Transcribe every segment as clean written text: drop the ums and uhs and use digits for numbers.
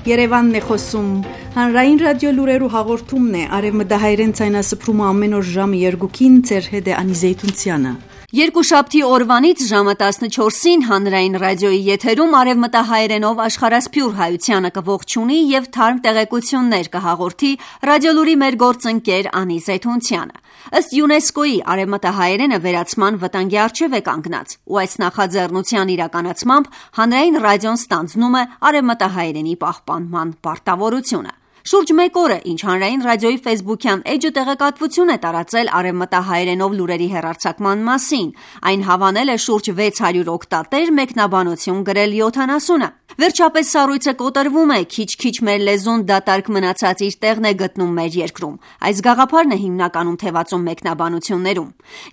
Երևանն է խոսում, հանրային ռադիո լուրերու հաղորդումն է, արևմտահայերեն ցայնասփռումը ամեն օր ժամը 2-ին ձեր հետ է Անի Զեյթունցյանը։ Երկուշաբթի օրվանից ժամը 14-ին հանրային ռադիոյի եթերում արևմտահայերենով աշխարհասփյուր հայությանը կողջունի եւ թարմ տեղեկություններ կհաղորդի ռադիոլուրի մեր գործընկեր Անի Զեյթունցյանը։ Ըստ ՅՈՒՆԵՍԿՕ-ի արևմտահայերենը վերացման վտանգի առջև է կանգնած, ու այս նախաձեռնության իրականացմամբ հանրային ռադիոն ստանձնում է արևմտահայերենի պահպանման պարտավորությունը։ Շուրջ մեկ օր է, ինչ հանրային ռադիոյի ֆեյսբուքյան էջը տեղեկատվություն է տարածել արևմտահայերենով լուրերի հեռարձակման մասին։ Այն հավանել է շուրջ 600 օգտատեր, մեկնաբանություն գրել 70-ը։ Վերջապես սառույցը կոտրվում է, քիչ-քիչ մեր լեզուն դատարկ մնացած իր տեղն է գտնում մեր երկրում։ Այս գաղափարն է հիմնականում թևածում մեկնաբանություններում։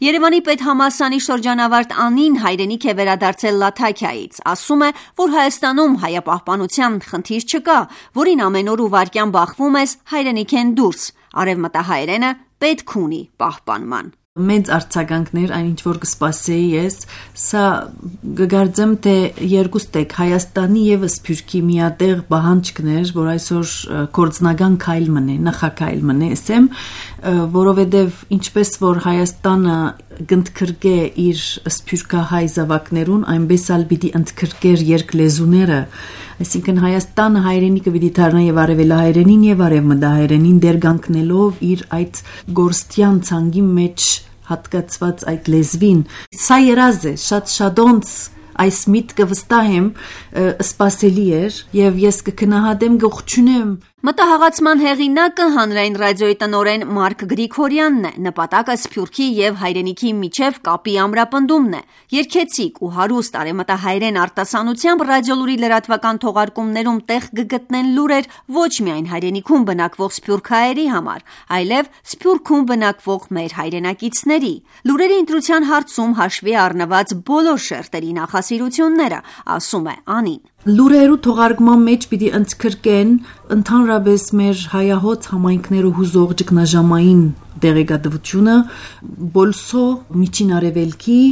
Երևանի պետհամալսարանի շրջանավարտ Անին հայրենիք է վերադարձել Լաթաքիայից։ Ասում է, որ Հայաստանում հայապահպանության խնդիր չկա, որին ամեն օր ու վայրկյան բախվում ես հայրենիքեն դուրս։ Արևմտահայերենը պետք ունի պահպանման։ Մեծ արձագանքներ, այն ինչ որ կսպասեի ես, սա գգարձեմ թե երկուստեք Հայաստանի եւ Սփյուռքի միատեղ բանջկներ, որ այսօր կորձնական քայլ մնե, նախաքայլ մնե, ասեմ, որովհետեւ ինչպես որ Հայաստանը գնդքրկե իր սփյուռքահայ զավակներուն, այնպես ալ պիտի ընդքրկեր երկլեզուները, այսինքն Հայաստանը հայրենիքը պիտի դառնա եւ արևելահայերենին եւ արևմտահայերենին դերգանքնելով իր այդ գործյան ցանգի մեջ հատկացված այդ լեզվին։ Սա երազ է, շատ-շատոնց այս միտքը վստահ եմ սպասելի էր եւ ես կգնահատեմ գողջունեմ։ Մտահղացման հեղինակը հանրային ռադիոյի տնօրեն Մարկ Գրիգորյանն է, նպատակը Սփյուռքի եւ հայրենիքի միջև կապի ամրապնդումն է։ Երկեցիկ ու հարուստ արևմտահայերեն արտասանությամբ ռադիոլուրի լրատվական թողարկումներում տեղ կգտնեն լուրեր ոչ միայն հայրենիքում բնակվող սփյուռքահայերի համար, այլև Սփյուռքում բնակվող մեր հայրենակիցների։ Լուրերի ընտրության հարցում հաշվի առնված բոլոր շերտերի նախասիրությունները, ասում է Անին։ Լուրերու թողարկման մեջ պիտի ընդգրկեն ընդհանրապես մեր հայահոց համայնքներու հուզող ճգնաժամային դեղեկատվությունը, Բոլսո, Միջին Արևելքի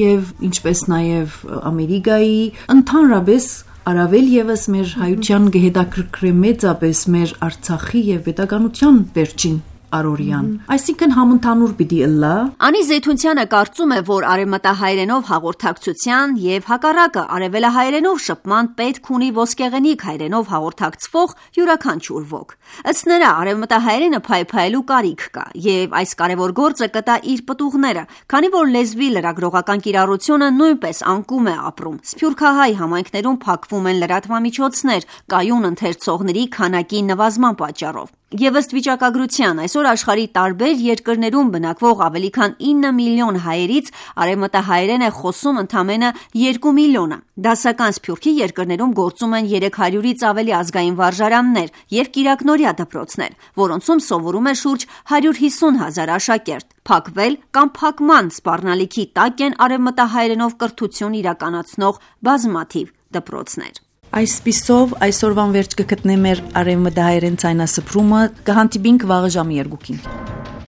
եւ ինչպես նաեւ Ամերիկայի, ընդհանրապես առավել եւս մեր հայության գեհետակրկրե մեծապես մեր Արցախի եւ պետականության վերջին Արորյան։ Այսինքն համընդհանուր պիտի ըլլա։ Անի Զեյթունցյանը կարծում է, որ արևմտահայերենով հաղորդակցության եւ հակառակը արևելահայերենով շփման պետք ունի ոսկեղենիկ հայերենով հաղորդակցվող յուրաքանչյուր ոք։ Ըստ նրա, արևմտահայերենը փայփայելու կարիք կա եւ այս կարեւոր գործը կտա իր պտուղները, քանի որ լեզվի լրագրողական կիրառությունը նույնպես անկում է ապրում։ Սփյուռքահայ համայնքներում փակվում են լրատվամիջոցներ կայուն ընթերցողների քանակի նվազման պատճառով։ Եվ ըստ վիճակագրության, այսօր աշխարհի տարբեր երկրներում բնակվող ավելի քան 9 միլիոն հայերից արևմտահայերեն է խոսում ընդամենը 2 միլիոնը։ Դասական Սփյուռքի երկրներում գործում են 300-ից ավելի ազգային վարժարաններ եւ կիրակնօրյա դպրոցներ, որոնցում սովորում է շուրջ 150,000 աշակերտ։ Փակվել կամ փակման սպառնալիքի տակ են արևմտահայերենով կրթություն իրականացնող բազմաթիվ դպրոցներ։ Այսպիսով այսօրվան վերջ կգտնեմ մեր արևմտահայերեն ցայնասփռումը, կհանդիպինք վաղը ժամը 2-ին։